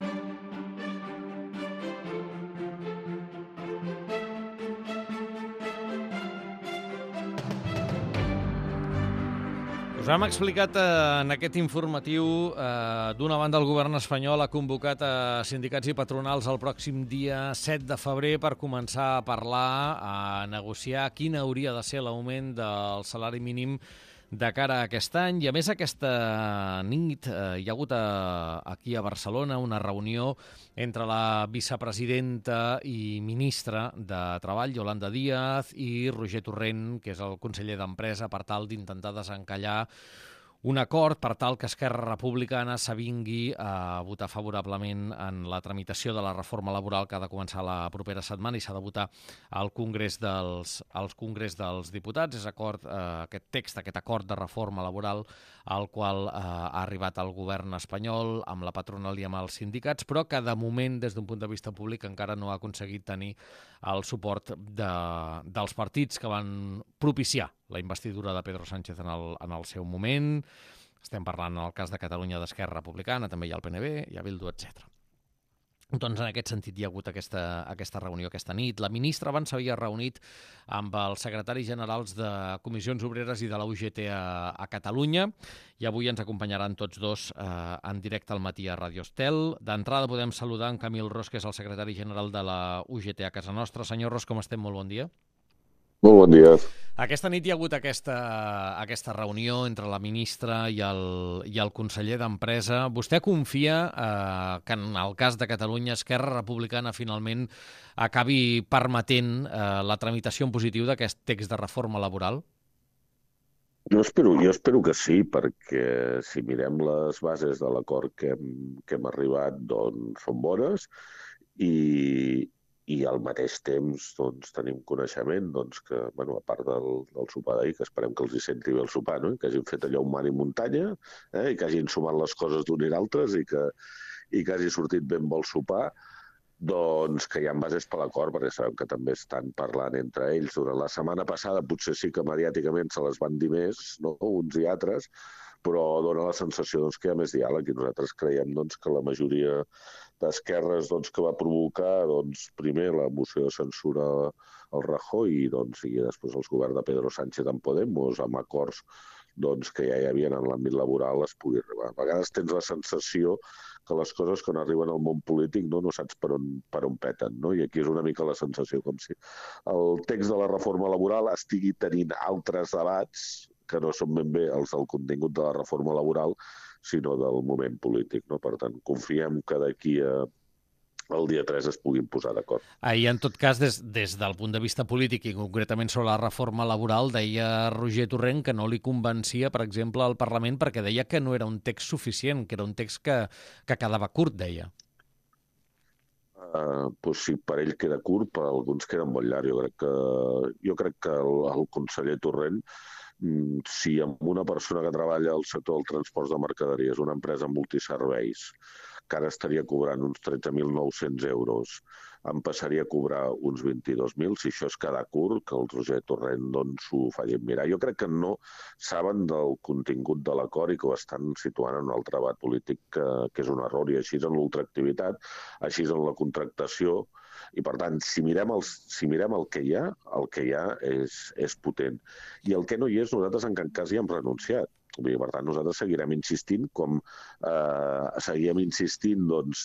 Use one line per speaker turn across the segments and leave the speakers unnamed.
Us hem explicat en aquest informatiu, d'una banda el govern espanyol ha convocat a sindicats i patronals el pròxim dia 7 de febrer per començar a parlar, a negociar quin hauria de ser l'augment del salari mínim de cara a aquest any. I a més aquesta nit hi ha hagut aquí a Barcelona una reunió entre la vicepresidenta i ministra de Treball, Yolanda Díaz, i Roger Torrent, que és el conseller d'Empresa, per tal d'intentar desencallar un acord per tal que Esquerra Republicana s'avingui a votar favorablement en la tramitació de la reforma laboral que ha de començar la propera setmana i s'ha de votar al Congrés dels Diputats. És aquest text, aquest acord de reforma laboral al qual ha arribat el govern espanyol amb la patronal i amb els sindicats, però que de moment, des d'un punt de vista públic, encara no ha aconseguit tenir el suport dels partits que van propiciar la investidura de Pedro Sánchez en el seu moment. Estem parlant, en el cas de Catalunya, d'Esquerra Republicana, també hi ha el PNB, hi ha Bildu, etc. Doncs en aquest sentit hi ha hagut aquesta reunió aquesta nit. La ministra abans s'havia reunit amb els secretaris generals de Comissions Obreres i de la UGT a Catalunya i avui ens acompanyaran tots dos en directe al matí a Radio Estel. D'entrada podem saludar en Camil Ros, que és el secretari general de la UGT a casa nostra. Senyor Ros, com estem? Molt bon dia.
Molt bon dia.
Aquesta nit hi ha hagut aquesta reunió entre la ministra i el conseller d'Empresa. Vostè confia que en el cas de Catalunya Esquerra Republicana finalment acabi permetent la tramitació en positiu d'aquest text de reforma laboral?
Jo espero que sí, perquè si mirem les bases de l'acord que hem arribat, doncs són bones i al mateix temps doncs, tenim coneixement que, a part del sopar d'ahir, que esperem que els hi senti bé el sopar, no? Que hagin fet allò un mar i muntanya, i que hagin sumat les coses d'un i l'altre i que hagi sortit ben bo el sopar, doncs que hi ha bases per l'acord, perquè sabem que també estan parlant entre ells. Durant la setmana passada potser sí que mediàticament se les van dir més, no? Uns i altres, però dona la sensació que hi ha més diàleg i nosaltres creiem que la majoria d'esquerres que va provocar primer la moció de censura al Rajoy i després el govern de Pedro Sánchez amb Podemos, amb acords que ja hi havia en l'àmbit laboral, es pugui arribar. A vegades tens la sensació que les coses quan arriben al món polític no saps per on peten, no? I aquí és una mica la sensació, com si el text de la reforma laboral estigui tenint altres debats que no són ben bé els del contingut de la reforma laboral, sinó del moment polític, no? Per tant, confiem que d'aquí al dia 3 es puguin posar d'acord.
I en tot cas, des del punt de vista polític i concretament sobre la reforma laboral, deia Roger Torrent que no li convencia, per exemple, al Parlament perquè deia que no era un text suficient, que era un text que quedava curt, deia.
Doncs sí, per ell queda curt, per alguns queda molt llarg. Jo crec que el conseller Torrent, si amb una persona que treballa al sector del transport de mercaderies, una empresa multiserveis, que ara estaria cobrant uns 13.900 euros, em passaria a cobrar uns 22.000, si això és quedar curt, que el Roger Torrent s'ho facin mirar. Jo crec que no saben del contingut de l'acord i que ho estan situant en un altre debat polític que és un error, i així en l'ultraactivitat, així en la contractació. I, per tant, si mirem el que hi ha és potent. I el que no hi és, nosaltres en cap cas hi hem renunciat. Per tant, nosaltres seguirem insistint com seguíem insistint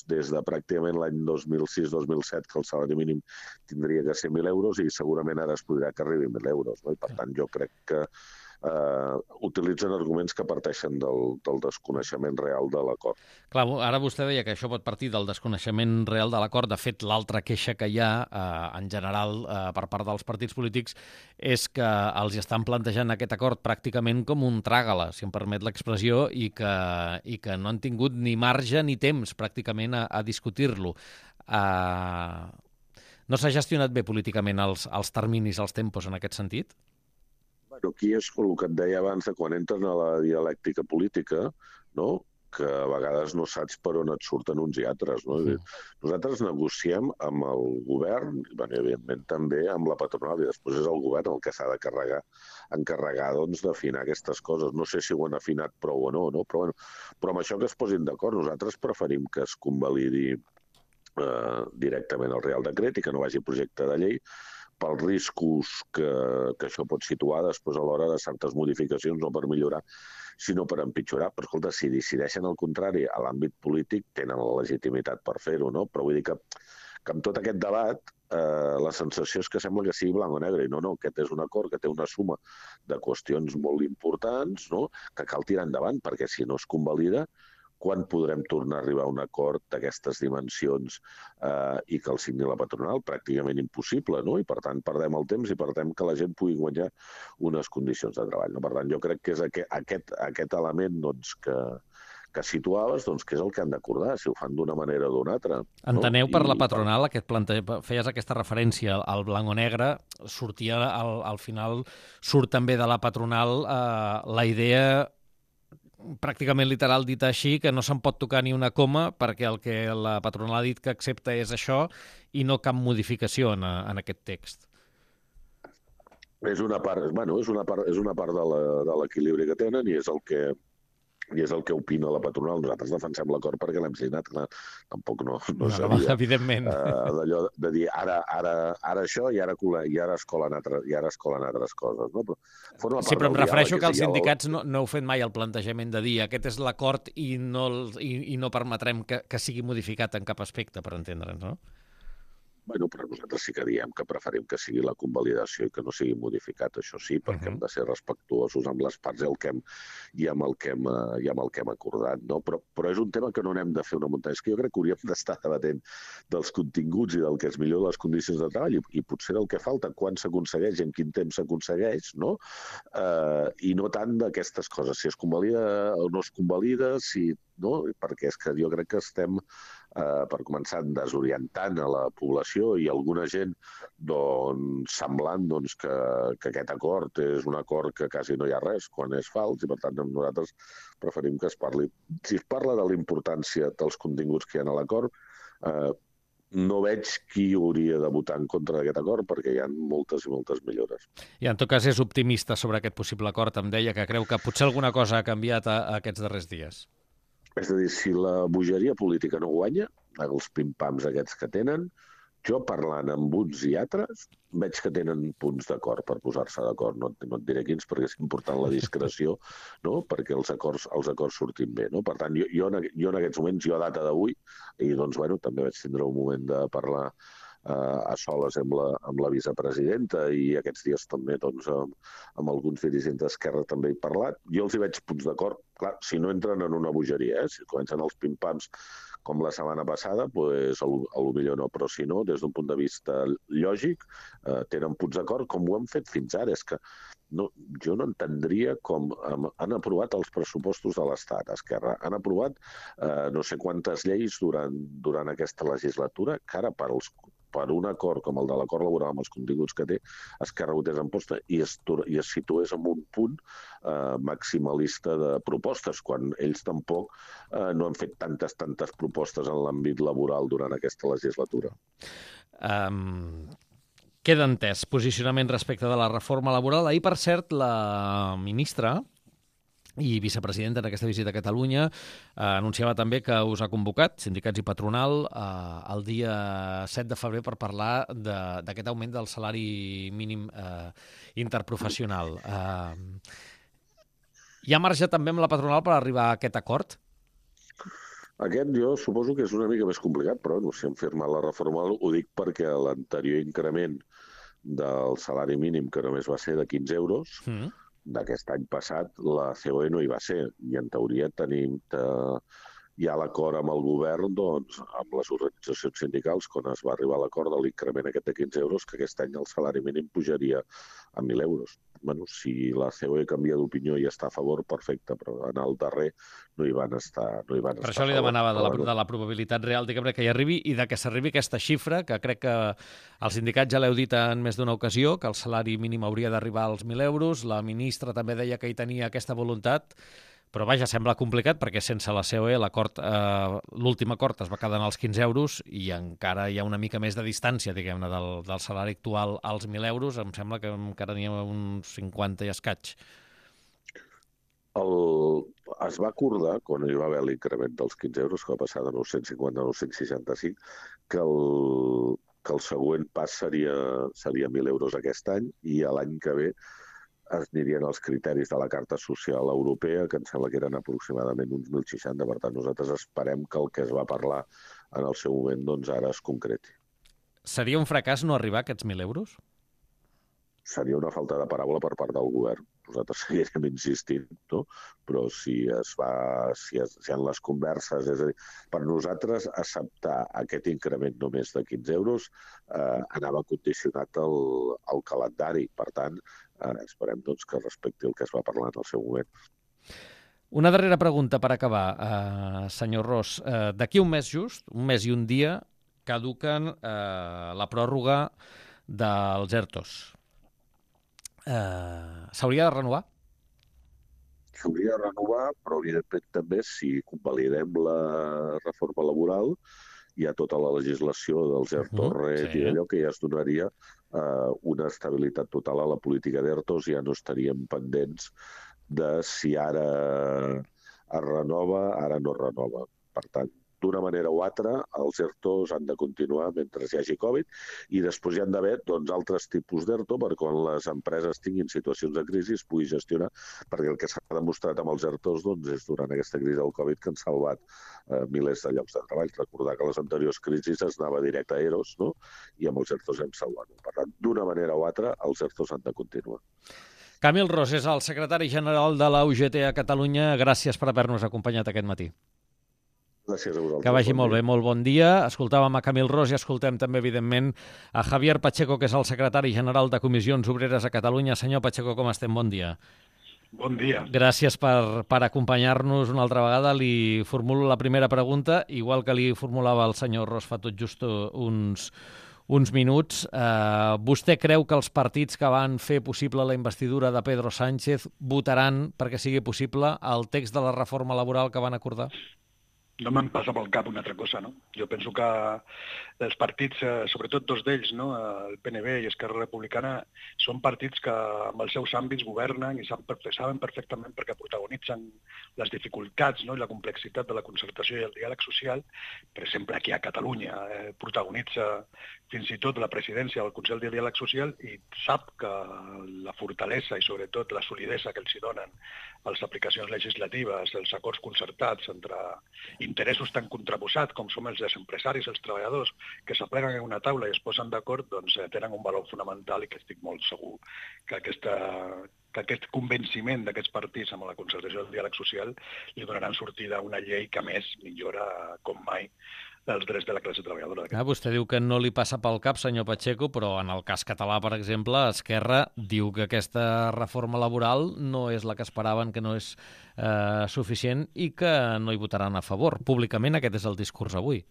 des de pràcticament l'any 2006-2007 que el salari mínim tindria que ser 1.000 euros i segurament ara es podrà que arribi a 1.000 euros. No? I, per tant, jo crec que utilitzen arguments que parteixen del desconeixement real de l'acord.
Clar, ara vostè deia que això pot partir del desconeixement real de l'acord. De fet, l'altra queixa que hi ha, en general, per part dels partits polítics, és que els estan plantejant aquest acord pràcticament com un tràgala, si em permet l'expressió, i que no han tingut ni marge ni temps, pràcticament, a discutir-lo. No s'ha gestionat bé políticament els terminis, els tempos, en aquest sentit?
Aquí és el que et deia abans, quan entres a la dialèctica política, no? que a vegades no saps per on et surten uns i altres. No? Nosaltres negociem amb el govern, i evidentment també amb la patronal, i després és el govern el que s'ha de encarregar doncs, d'afinar aquestes coses. No sé si ho han afinat prou o no, però amb això que es posin d'acord, nosaltres preferim que es convalidi directament el Real Decret i que no vagi projecte de llei, pels riscos que això pot situar després a l'hora de certes modificacions, no per millorar, sinó per empitjorar. Però, escolta, si decideixen el contrari a l'àmbit polític, tenen la legitimitat per fer-ho, no? Però vull dir que amb tot aquest debat la sensació és que sembla que sigui blanc o negre, i no, aquest és un acord que té una suma de qüestions molt importants, no? Que cal tirar endavant, perquè si no es convalida, quan podrem tornar a arribar a un acord d'aquestes dimensions i que el signi la patronal? Pràcticament impossible, no? I per tant perdem el temps i perdem que la gent pugui guanyar unes condicions de treball. No? Per tant, jo crec que és aquest element doncs, que situaves, doncs, que és el que han d'acordar, si ho fan d'una manera o d'una altra.
Enteneu, per la patronal, feies aquesta referència al blanc o negre, sortia, al final surt també de la patronal la idea pràcticament literal dit així, que no se'n pot tocar ni una coma perquè el que la patronal ha dit que accepta és això i no cap modificació en aquest text.
És una part de l'equilibri que tenen i és el que opina la patronal. Nosaltres defensem l'acord perquè l'hem signat. Tampoc no seria
evidentment.
D'allò de dir ara això i ara es colen altres coses. No?
Però em refereixo que els sindicats no heu fet mai el plantejament de dir aquest és l'acord i no permetrem que sigui modificat en cap aspecte, per entendre'ns, no?
Però nosaltres sí que diem que preferim que sigui la convalidació i que no sigui modificat, això sí, perquè hem de ser respectuosos amb les parts i amb el que hem acordat. No? Però és un tema que no n'hem de fer una muntanya. És que jo crec que hauríem d'estar debatent dels continguts i del que es millora les condicions de treball i potser el que falta, quan s'aconsegueix i en quin temps s'aconsegueix, no? I no tant d'aquestes coses, si es convalida o no es convalida, no? Perquè és que jo crec que estem, per començar, desorientant a la població i alguna gent semblant que aquest acord és un acord que quasi no hi ha res quan és fals i per tant nosaltres preferim que es parli. Si es parla de la importància dels continguts que hi ha a l'acord, no veig qui hauria de votar en contra d'aquest acord perquè hi ha moltes i moltes millores.
I en tot cas és optimista sobre aquest possible acord. Em deia que creu que potser alguna cosa ha canviat aquests darrers dies.
És a dir, si la bogeria política no guanya, els pim-pams aquests que tenen, jo parlant amb uns i altres, veig que tenen punts d'acord per posar-se d'acord. No et diré quins perquè és important la discreció, no? Perquè els acords surtin bé. No? Per tant, jo en aquests moments, a data d'avui, i doncs, també vaig tindre un moment de parlar a soles amb la vicepresidenta i aquests dies també amb alguns dirigents d'Esquerra també he parlat. Jo els hi veig punts d'acord. Clar, si no entren en una bogeria, si comencen els pim-pams com la setmana passada, doncs potser no, però si no, des d'un punt de vista lògic, tenen punts d'acord com ho han fet fins ara. És que jo no entendria com han aprovat els pressupostos de l'Estat, Esquerra. Han aprovat no sé quantes lleis durant aquesta legislatura que ara per un acord com el de l'acord laboral amb els continguts que té, Esquerra votés en posta i es situés en un punt maximalista de propostes, quan ells tampoc no han fet tantes propostes en l'àmbit laboral durant aquesta legislatura.
Queda entès posicionament respecte de la reforma laboral. Ahir, per cert, la ministra i vicepresidenta en aquesta visita a Catalunya anunciava també que us ha convocat, sindicats i patronal, el dia 7 de febrer per parlar d'aquest augment del salari mínim interprofessional. Hi ha marge també amb la patronal per arribar a aquest acord?
Aquest jo suposo que és una mica més complicat, però si hem firmat la reforma ho dic perquè l'anterior increment del salari mínim, que només va ser de 15 euros, d'aquest any passat, la COE no hi va ser. I en teoria tenim ja l'acord amb el govern, amb les organitzacions sindicals, quan es va arribar a l'acord de l'increment aquest de 15 euros, que aquest any el salari mínim pujaria a 1.000 euros. Si la COE canvia d'opinió i està a favor, perfecte, però en el darrer no hi van estar
Per això li demanava de la probabilitat real que hi arribi i de que s'arribi aquesta xifra, que crec que els sindicats ja l'heu dit en més d'una ocasió, que el salari mínim hauria d'arribar als 1.000 euros. La ministra també deia que hi tenia aquesta voluntat, Però vaja, sembla complicat perquè sense la COE l'últim acord es va quedar en els 15 euros i encara hi ha una mica més de distància, diguem-ne, del salari actual als 1.000 euros. Em sembla que encara n'hi ha uns 50 i escaig.
Es va acordar, quan hi va haver l'increment dels 15 euros, que va passar de 950 a 965, que el següent pas seria 1.000 euros aquest any i l'any que ve es anirien els criteris de la Carta Social Europea, que em sembla que eren aproximadament uns 1.060. Per tant, nosaltres esperem que el que es va parlar en el seu moment doncs ara es concreti.
Seria un fracàs no arribar a aquests 1.000 euros?
Seria una falta de paraula per part del govern. Nosaltres seguirem insistint, no? Però si hi ha les converses... És a dir, per nosaltres acceptar aquest increment només de 15 euros anava condicionat al calendari. Per tant, esperem doncs, que respecti el que es va parlar en el seu moment.
Una darrera pregunta per acabar, senyor Ros. D'aquí un mes just, un mes i un dia, caduquen la pròrroga dels ERTOs. S'hauria de renovar?
S'hauria de renovar, però evidentment també si convalidem la reforma laboral hi ha tota la legislació dels ERTO-RET i d'allò que ja es donaria una estabilitat total a la política d'ERTOs, ja no estaríem pendents de si ara es renova, ara no es renova. Per tant, d'una manera o altra, els ERTOs han de continuar mentre hi hagi Covid i després hi han d'haver altres tipus d'ERTO per quan les empreses tinguin situacions de crisi es pugui gestionar, perquè el que s'ha demostrat amb els ERTOs és durant aquesta crisi del Covid que han salvat milers de llocs de treball. Recordar que les anteriors crisis es anava directe a EROs, no? I amb els ERTOs hem salvat. Per tant, d'una manera o altra, els ERTOs han de continuar.
Camil Ros és el secretari general de la UGT a Catalunya. Gràcies per haver-nos acompanyat aquest matí.
Gràcies a vosaltres.
Que vagi molt bé, molt bon dia. Escoltàvem a Camil Ros i escoltem també, evidentment, a Javier Pacheco, que és el secretari general de Comissions Obreres a Catalunya. Senyor Pacheco, com estem? Bon dia.
Bon dia.
Gràcies per acompanyar-nos una altra vegada. Li formulo la primera pregunta, igual que li formulava el senyor Ros fa tot just uns minuts. Vostè creu que els partits que van fer possible la investidura de Pedro Sánchez votaran perquè sigui possible el text de la reforma laboral que van acordar?
No me'n passa pel cap una altra cosa, no? Jo penso que els partits, sobretot dos d'ells, no? El PNB i Esquerra Republicana, són partits que amb els seus àmbits governen i saben perfectament perquè protagonitzen les dificultats, no? I la complexitat de la concertació i el diàleg social. Per exemple, aquí a Catalunya protagonitza fins i tot la presidència del Consell de Diàleg Social i sap que la fortalesa i sobretot la solidesa que els hi donen les aplicacions legislatives, els acords concertats entre interessos tan contraposats com som els empresaris i els treballadors que s'apleguen en una taula i es posen d'acord, doncs tenen un valor fonamental i que estic molt segur que aquest convenciment d'aquests partits amb la concertació del diàleg social li donaran sortida a una llei que, a més, millora com mai dels drets de la classe treballadora.
Vostè diu que no li passa pel cap, senyor Pacheco, però en el cas català, per exemple, Esquerra diu que aquesta reforma laboral no és la que esperaven, que no és suficient i que no hi votaran a favor. Públicament aquest és el discurs avui.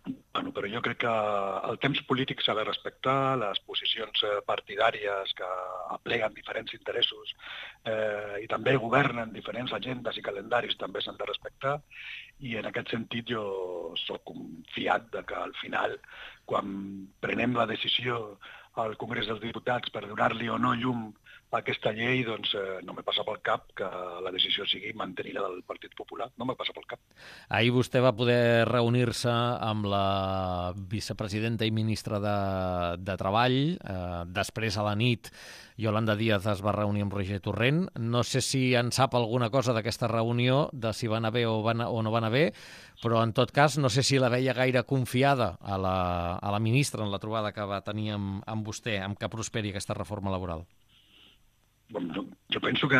Bueno, però jo crec que el temps polític s'ha de respectar, les posicions partidàries que apleguen diferents interessos i també governen diferents agendes i calendaris també s'han de respectar i en aquest sentit jo soc confiat de que al final, quan prenem la decisió al Congrés dels Diputats per donar-li o no llum a aquesta llei, doncs no me passa pel cap que la decisió sigui mantenir-la del Partit Popular. No me passa pel cap.
Ahir vostè va poder reunir-se amb la vicepresidenta i ministra de Treball. Després, a la nit, Yolanda Díaz es va reunir amb Roger Torrent. No sé si en sap alguna cosa d'aquesta reunió, de si va anar bé o no va anar bé, però en tot cas no sé si la veia gaire confiada a la ministra en la trobada que va tenir amb vostè, amb que prosperi aquesta reforma laboral.
Jo penso que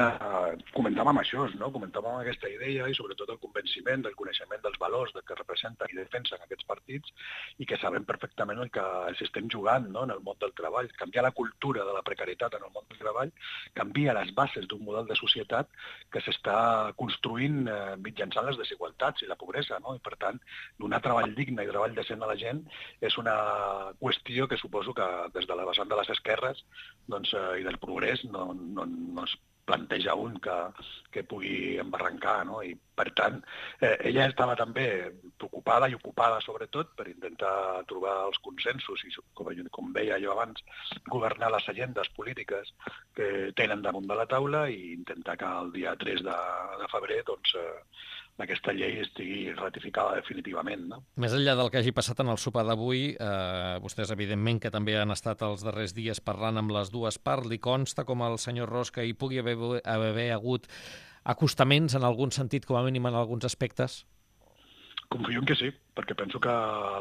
comentàvem això, no? Comentàvem aquesta idea i sobretot el convenciment del coneixement dels valors que representen i defensen aquests partits i que sabem perfectament el que ens estem jugant, no? En el món del treball. Canviar la cultura de la precarietat en el món del treball canvia les bases d'un model de societat que s'està construint mitjançant les desigualtats i la pobresa, no? I per tant, donar treball digne i treball decent a la gent és una qüestió que suposo que des de la vessant de les esquerres i del progrés no es planteja un que pugui embarrancar, no? I, per tant, ella estava també preocupada i ocupada, sobretot, per intentar trobar els consensos i, com veia jo abans, governar les agendes polítiques que tenen damunt de la taula i intentar que el dia 3 de febrer doncs, aquesta llei estigui ratificada definitivament. No?
Més enllà del que hagi passat en el sopar d'avui, vostès, evidentment, que també han estat els darrers dies parlant amb les dues parts, li consta com al senyor Ros que hi pugui haver hagut acostaments en algun sentit, com a mínim en alguns aspectes?
Confio en que sí, perquè penso que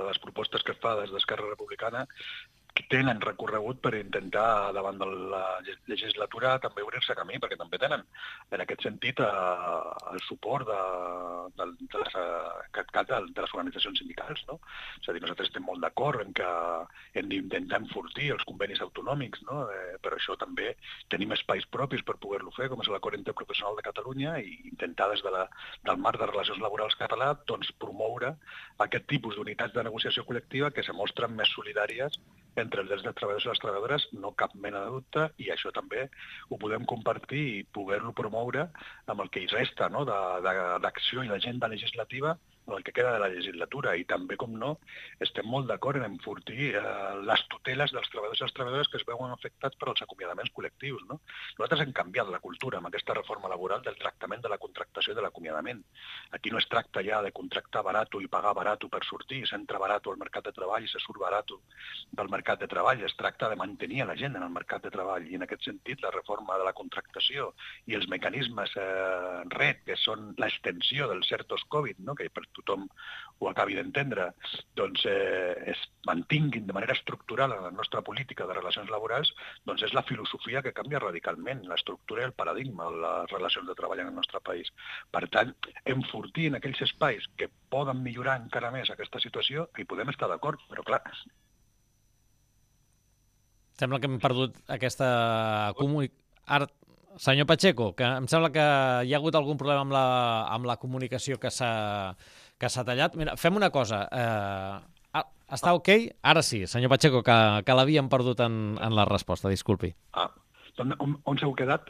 les propostes que es fa des d'Esquerra Republicana tenen recorregut per intentar, davant de la legislatura, també obrir-se camí, perquè també tenen, en aquest sentit, el suport de les organitzacions sindicals. No? És a dir, nosaltres estem molt d'acord en que hem d'intentar enfortir els convenis autonòmics, no? Per això també tenim espais propis per poder-lo fer, com és l'acord interprofessional de Catalunya, i intentar des del marc de relacions laborals català doncs, promoure aquest tipus d'unitats de negociació col·lectiva que se mostren més solidàries entre els drets dels treballadors i les treballadores, no cap mena de dubte, i això també ho podem compartir i poder-lo promoure amb el que hi resta, no? d'acció i d'agenda legislativa en el que queda de la legislatura. I també, com no, estem molt d'acord en enfortir les tuteles dels treballadors i les treballadores que es veuen afectats per als acomiadaments col·lectius. No? Nosaltres hem canviat la cultura amb aquesta reforma laboral del tractament de la contractació i de l'acomiadament. Aquí no es tracta ja de contractar barat i pagar barat per sortir, s'entra barat al mercat de treball i se surt barat del mercat de treball. Es tracta de mantenir la gent en el mercat de treball i en aquest sentit la reforma de la contractació i els mecanismes RED, que són l'extensió dels certos Covid, no? que per tothom ho acabi d'entendre, doncs es mantinguin de manera estructural en la nostra política de relacions laborals, doncs és la filosofia que canvia radicalment l'estructura i el paradigma de les relacions de treball en el nostre país. Per tant, enfortir en aquells espais que poden millorar encara més aquesta situació, hi podem estar d'acord, però clar...
Sembla que hem perdut aquesta comunicació. Senyor Pacheco, que em sembla que hi ha hagut algun problema amb la comunicació que s'ha tallat. Mira, fem una cosa. Està ok? Ara sí, senyor Pacheco, que l'havíem perdut en la resposta, disculpi.
On s'heu quedat?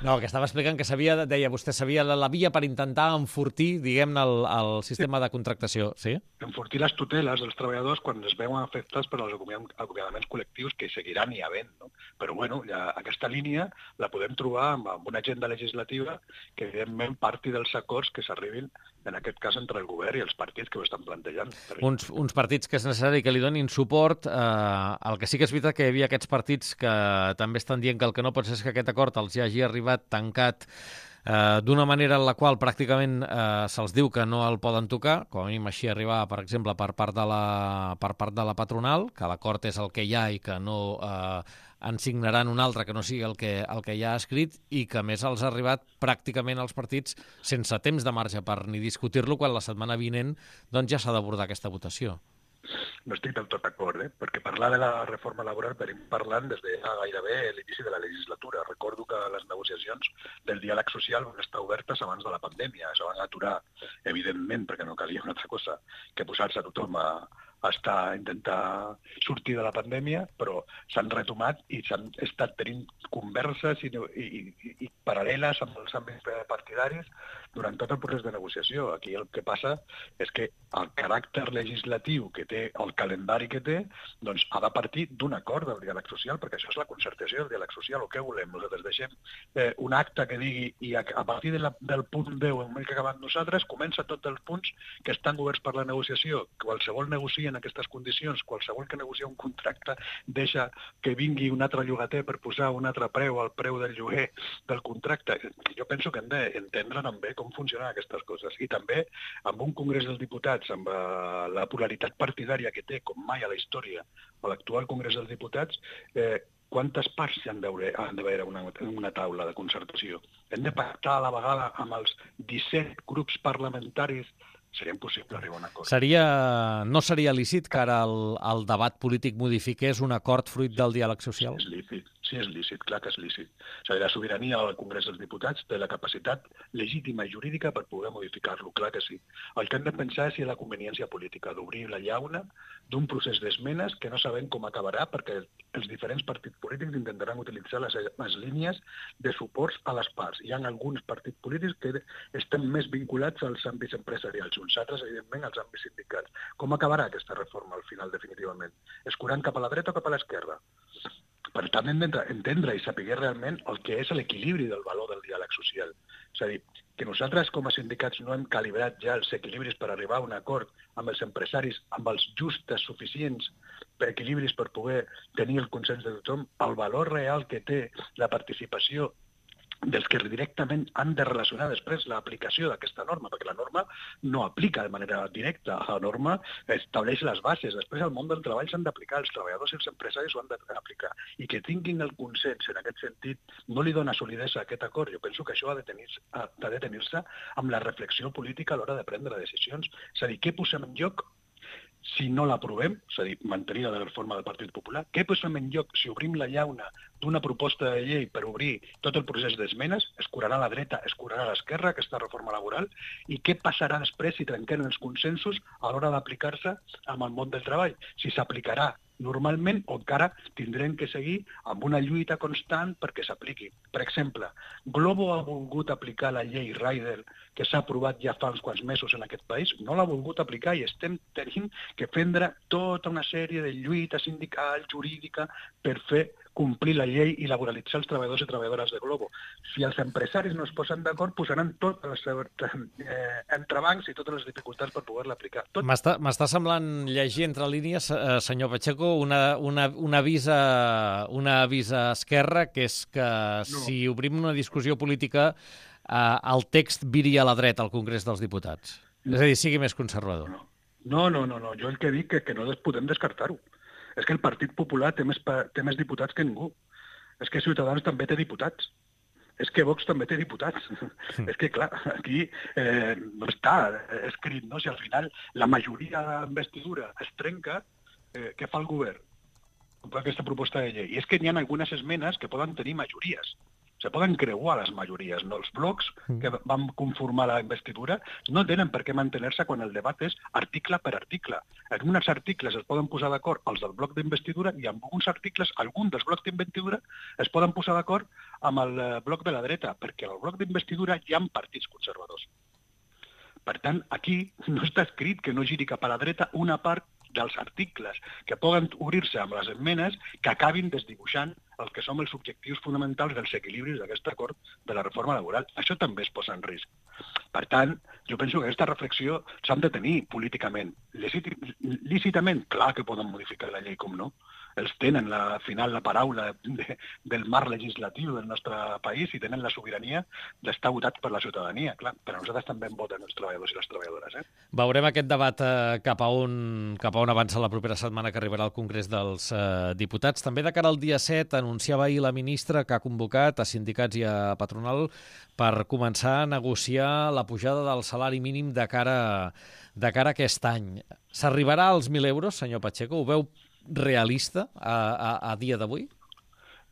No, que estava explicant que deia vostè, sabia la via per intentar enfortir, diguem-ne, el sistema de contractació, sí?
Enfortir les tuteles dels treballadors quan es veuen afectats per als acomiadaments col·lectius que seguiran hi havent, no? Però, bueno, aquesta línia la podem trobar amb una agenda legislativa que, evidentment, parti dels acords que s'arribin, en aquest cas, entre el govern i els partits que ho estan plantejant.
Uns partits que és necessari que li donin suport. El que sí que és veritat que hi havia aquests partits que també estan dient que el que no pot ser és que aquest acord els hagi arribat tancat d'una manera en la qual pràcticament se'ls diu que no el poden tocar, com a mínim així arribar, per exemple, per part de la patronal, que l'acord és el que hi ha i que no en signaran un altre que no sigui el que ja ha escrit, i que a més els ha arribat pràcticament als partits sense temps de marge per ni discutir-lo, quan la setmana vinent doncs ja s'ha d'abordar aquesta votació.
No estic del tot d'acord, perquè parlar de la reforma laboral venim parlant des de gairebé l'inici de la legislatura. Recordo que les negociacions del diàleg social van estar obertes abans de la pandèmia. Es van aturar, evidentment, perquè no calia una altra cosa que posar-se a tothom a intentar sortir de la pandèmia, però s'han retomat i s'han estat tenint converses i paral·leles amb els àmbits partidaris durant tot el procés de negociació. Aquí el que passa és que el caràcter legislatiu que té, el calendari que té, doncs ha de partir d'un acord del diàleg social, perquè això és la concertació del diàleg social. O què volem? Nosaltres deixem un acte que digui, i a partir del punt 10 en el que acabem nosaltres, comença tots els punts que estan oberts per la negociació. Qualsevol negocia en aquestes condicions, qualsevol que negocia un contracte deixa que vingui un altre llogater per posar un altre preu al preu del lloguer del contracte. Jo penso que hem d'entendre també com funcionen aquestes coses. I també amb un Congrés dels Diputats, amb la polaritat partidària que té, com mai a la història, a l'actual Congrés dels Diputats, quantes parts hi han d'haver en una taula de concertació? Hem de pactar a la vegada amb els 17 grups parlamentaris. Seria impossible arribar a un acord.
No seria lícit que ara el debat polític modifiqués un acord fruit del diàleg social?
Sí, sí és lícit, clar que és lícit. És a dir, la sobirania al Congrés dels Diputats té la capacitat legítima i jurídica per poder modificar-lo, clar que sí. El que hem de pensar és si hi ha la conveniència política d'obrir la llauna d'un procés d'esmenes que no sabem com acabarà perquè els diferents partits polítics intentaran utilitzar les línies de suports a les parts. Hi ha alguns partits polítics que estan més vinculats als àmbits empresarials, uns altres, evidentment, als àmbits sindicals. Com acabarà aquesta reforma al final, definitivament? Escurant cap a la dreta o cap a l'esquerra? Per tant, hem d'entendre i saber realment el que és l'equilibri del valor del diàleg social. És a dir, que nosaltres com a sindicats no hem calibrat ja els equilibris per arribar a un acord amb els empresaris, amb els justes, suficients equilibris per poder tenir el consens de tothom, el valor real que té la participació dels que directament han de relacionar després l'aplicació d'aquesta norma, perquè la norma no aplica de manera directa, la norma estableix les bases, després al món del treball s'han d'aplicar, els treballadors i els empresaris ho han d'aplicar, i que tinguin el consens en aquest sentit no li dona solidesa a aquest acord. Jo penso que això ha de tenir-se amb la reflexió política a l'hora de prendre decisions, és a dir, què posem en joc si no l'aprovem, és a dir, mantenir la reforma del Partit Popular, què posem en lloc si obrim la llauna d'una proposta de llei per obrir tot el procés d'esmenes, escurarà a la dreta, escurarà a l'esquerra aquesta reforma laboral, i què passarà després si trenquem els consensos a l'hora d'aplicar-se amb el món del treball? Si s'aplicarà normalment o encara tindrem que seguir amb una lluita constant perquè s'apliqui. Per exemple, Glovo ha volgut aplicar la llei Rider que s'ha aprovat ja fa uns quants mesos en aquest país, no l'ha volgut aplicar i estem tenint que prendre tota una sèrie de lluita sindical, jurídica, per fer complir la llei i laboralitzar els treballadors i treballadores de Glovo. Si els empresaris no es posen d'acord, posaran tots els entrebancs i totes les dificultats per poder-la aplicar.
M'està semblant llegir entre línies, senyor Pacheco, una avís a Esquerra, que és que si obrim una discussió política, el text viri a la dreta al Congrés dels Diputats. És a dir, sigui més conservador.
No. Jo el que dic és que no podem descartar-ho. És que el Partit Popular té més diputats que ningú. És que Ciutadans també té diputats. És que Vox també té diputats. És que, clar, aquí no està escrit, no? Si al final la majoria d'investidura es trenca, què fa el govern amb aquesta proposta de llei? I és que hi ha algunes esmenes que poden tenir majories. Se poden creuar les majories, no? Els blocs que van conformar la investidura no tenen per què mantenir-se quan el debat és article per article. En uns articles es poden posar d'acord els del bloc d'investidura i en alguns articles, alguns dels blocs d'investidura es poden posar d'acord amb el bloc de la dreta, perquè al bloc d'investidura hi ha partits conservadors. Per tant, aquí no està escrit que no giri cap a la dreta una part dels articles que poden obrir-se amb les esmenes que acabin desdibuixant el que són els objectius fonamentals dels equilibris d'aquest acord de la reforma laboral. Això també es posa en risc. Per tant, jo penso que aquesta reflexió s'han de tenir políticament. Lícitament, clar que poden modificar la llei, com no. Els tenen, al final, la paraula del marc legislatiu del nostre país i tenen la sobirania d'estar votats per la ciutadania, clar. Però nosaltres també en voten els treballadors i les treballadores.
Veurem aquest debat cap a on avança la propera setmana que arribarà al Congrés dels Diputats. També de cara al dia 7 anunciava ahir la ministra que ha convocat a sindicats i a patronal per començar a negociar la pujada del salari mínim de cara a aquest any. S'arribarà als 1.000 euros, senyor Pacheco? Ho veu realista a dia d'avui?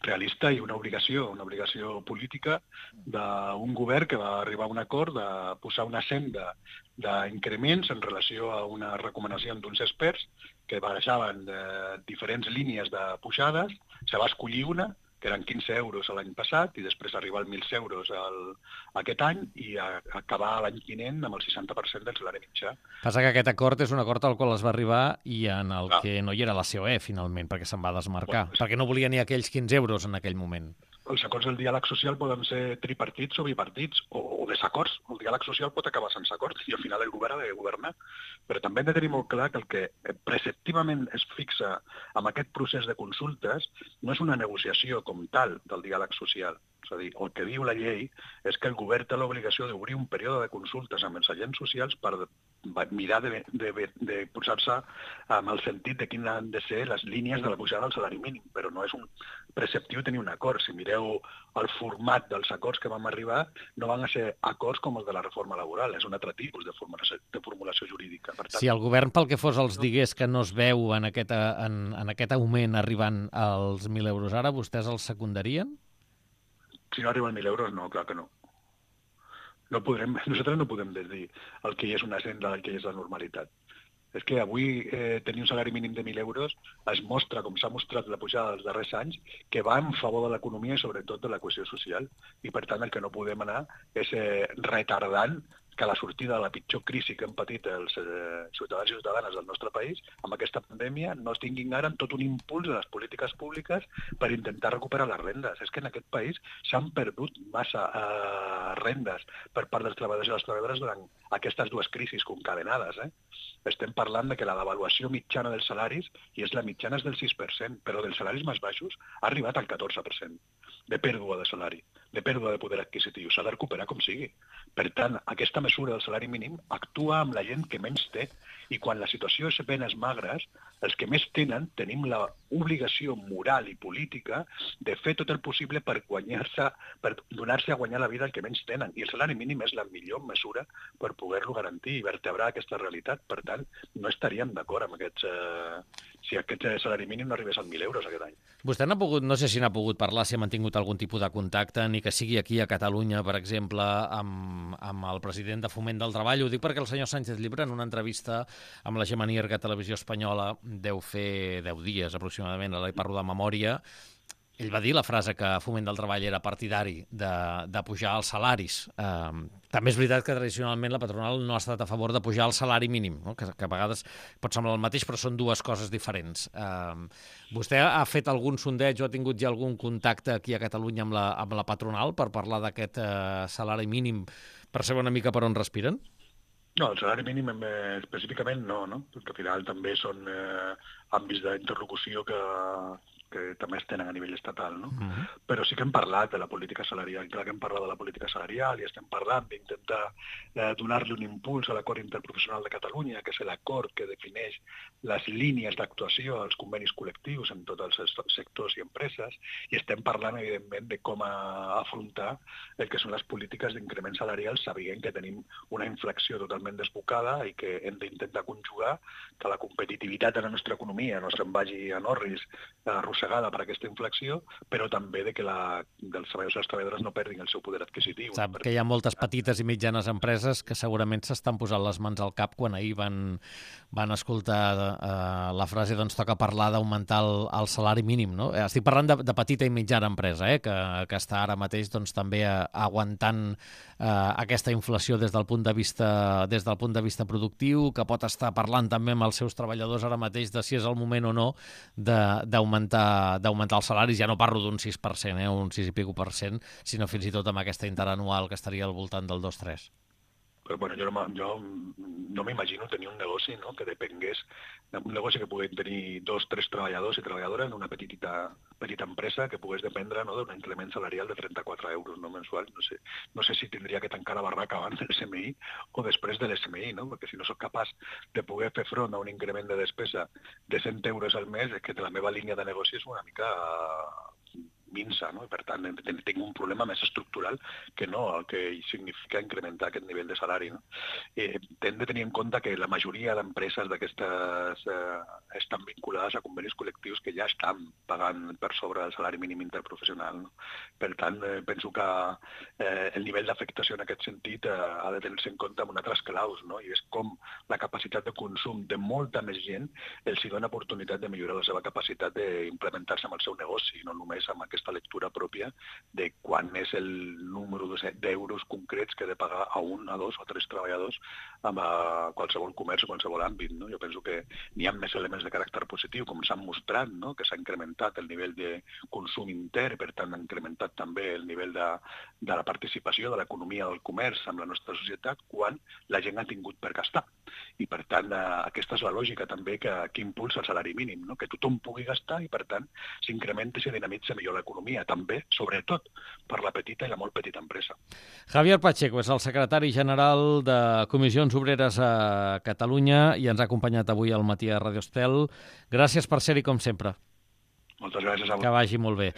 Realista i una obligació política d'un govern que va arribar a un acord de posar una senda d'increments en relació a una recomanació d'uns experts que barajaven diferents línies de pujades. Se va escollir una, que eren 15 euros l'any passat, i després arribar als 1.000 euros aquest any i acabar l'any vinent amb el 60% del salari mitjà.
Passa que aquest acord és un acord al qual es va arribar i en el que no hi era la COE, finalment, perquè se'n va desmarcar, perquè no volia ni aquells 15 euros en aquell moment.
Els acords del diàleg social poden ser tripartits o bipartits, o desacords. El diàleg social pot acabar sense acords i al final el govern ha de governar. Però també hem de tenir molt clar que el que preceptivament es fixa amb aquest procés de consultes no és una negociació com tal del diàleg social. És a dir, el que diu la llei és que el govern té l'obligació d'obrir un període de consultes amb els agents socials per mirar de posar-se amb el sentit de quines han de ser les línies de la pujada del salari mínim, però no és un preceptiu tenir un acord. Si mireu el format dels acords que vam arribar, no van a ser acords com els de la reforma laboral, és un altre tipus de formulació jurídica. Per tant,
si el govern, pel que fos, els digués que no es veu en aquest augment arribant als 1.000 euros ara, vostès els secundarien?
Si no arriben 1.000 euros, no, clar que no. Nosaltres no podem dir el que és una senda, el que és la normalitat. És que avui tenir un salari mínim de 1.000 euros es mostra, com s'ha mostrat la pujada dels darrers anys, que va en favor de l'economia i sobretot de la cohesió social. I per tant el que no podem anar és retardant que la sortida de la pitjor crisi que han patit els ciutadans i ciutadanes del nostre país, amb aquesta pandèmia, no es tinguin ara tot un impuls de les polítiques públiques per intentar recuperar les rendes. És que en aquest país s'han perdut massa rendes per part dels treballadors i les treballadores durant aquestes dues crisis concadenades. Estem parlant de que la devaluació mitjana dels salaris, i és la mitjana és del 6%, però dels salaris més baixos ha arribat al 14% de pèrdua de salari, de pèrdua de poder adquisitiu. S'ha de recuperar com sigui. Per tant, aquesta mesura del salari mínim actua amb la gent que menys té, i quan la situació és penes magres, els que més tenen tenim l'obligació moral i política de fer tot el possible per donar-se a guanyar la vida al que menys tenen. I el salari mínim és la millor mesura per poder-lo garantir i vertebrar aquesta realitat. Per tant, no estaríem d'acord amb si aquest salari mínim no arribés als 1.000 euros aquest any.
Vostè n'ha pogut, no sé si n'ha pogut parlar, si ha mantingut algun tipus de contacte, ni que sigui aquí a Catalunya, per exemple, amb el president de Foment del Treball. Ho dic perquè el senyor Sánchez Llibre, en una entrevista amb la Gemma Nierga Televisió Espanyola, deu fer 10 dies aproximadament, ara hi parlo de memòria, ell va dir la frase que Foment del Treball era partidari de pujar els salaris. També és veritat que tradicionalment la patronal no ha estat a favor de pujar el salari mínim, no? que a vegades pot semblar el mateix, però són dues coses diferents. Vostè ha fet algun sondeig o ha tingut ja algun contacte aquí a Catalunya amb la patronal per parlar d'aquest salari mínim, per saber una mica per on respiren?
No, el salari mínim específicament no, perquè al final també són àmbits d'interlocució que també es tenen a nivell estatal, no? Però sí que hem parlat de la política salarial, clar que hem parlat de la política salarial i estem parlant d'intentar donar-li un impuls a l'acord interprofessional de Catalunya, que és l'acord que defineix les línies d'actuació als convenis col·lectius en tots els sectors i empreses, i estem parlant, evidentment, de com afrontar el que són les polítiques d'increment salarial, sabent que tenim una inflació totalment desbocada i que hem d'intentar conjugar que la competitivitat de la nostra economia no se'n vagi a orris arrossegada per aquesta inflació, però també de que dels treballadors i les treballadores no perdin el seu poder adquisitiu.
Sap que hi ha moltes petites i mitjanes empreses que segurament s'estan posant les mans al cap quan ahir van escoltar la frase doncs toca parlar d'augmentar el salari mínim, no? Estic parlant de petita i mitjana empresa, que està ara mateix doncs, també aguantant aquesta inflació des del punt de vista productiu, que pot estar parlant també amb els seus treballadors ara mateix de si és el moment o no d'augmentar els salaris. Ja no parlo d'un 6%, un 6 i pico %, sinó fins i tot amb aquesta interanual que estaria al voltant del 2-3%.
Però bueno, jo no m'imagino tenir un negoci, no?, que depengués d'un negoci que pogués tenir 2 o 3 treballadors i treballadores en una petita empresa que pogués dependre, no, d'un increment salarial de 34 euros, no, mensuals. No sé si tindria que tancar la barraca abans del SMI o després de l'SMI, no? Perquè si no sóc capaç de poder fer front a un increment de despesa de 100 euros al mes, és que la meva línia de negoci és una mica minsa, no? I per tant tinc un problema més estructural que no el que significa incrementar aquest nivell de salari, no? Hem de tenir en compte que la majoria d'empreses d'aquestes estan vinculades a convenis col·lectius que ja estan pagant per sobre del salari mínim interprofessional, no? Per tant, penso que el nivell d'afectació en aquest sentit ha de tenir-se en compte amb altres claus, no? I és com la capacitat de consum de molta més gent els dona oportunitat de millorar la seva capacitat d'implementar-se amb el seu negoci, no només amb aquesta lectura pròpia de quan és el número d'euros concrets que he de pagar a 1, a 2 o 3 treballadors amb qualsevol comerç o qualsevol àmbit, no? Jo penso que n'hi ha més elements de caràcter positiu, com s'han mostrat, no?, que s'ha incrementat el nivell de consum intern, per tant ha incrementat també el nivell de la participació de l'economia del comerç amb la nostra societat quan la gent ha tingut per gastar. I per tant aquesta és la lògica també que impulsa el salari mínim, no?, que tothom pugui gastar i per tant s'incrementa i se dinamitza millor l'economia. l'economia, també, sobretot, per la petita i la molt petita empresa.
Javier Pacheco és el secretari general de Comissions Obreres a Catalunya i ens ha acompanyat avui al matí a Radio Estel. Gràcies per ser-hi, com sempre.
Moltes gràcies a vosaltres.
Que vagi molt bé.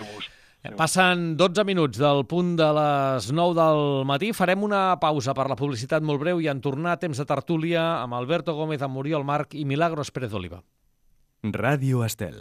Passen 12 minuts del punt de les 9 del matí. Farem una pausa per la publicitat molt breu i en tornar a temps de tertúlia amb Alberto Gómez, amb Oriol Marc i Milagros Pérez Oliva.
Radio Estel.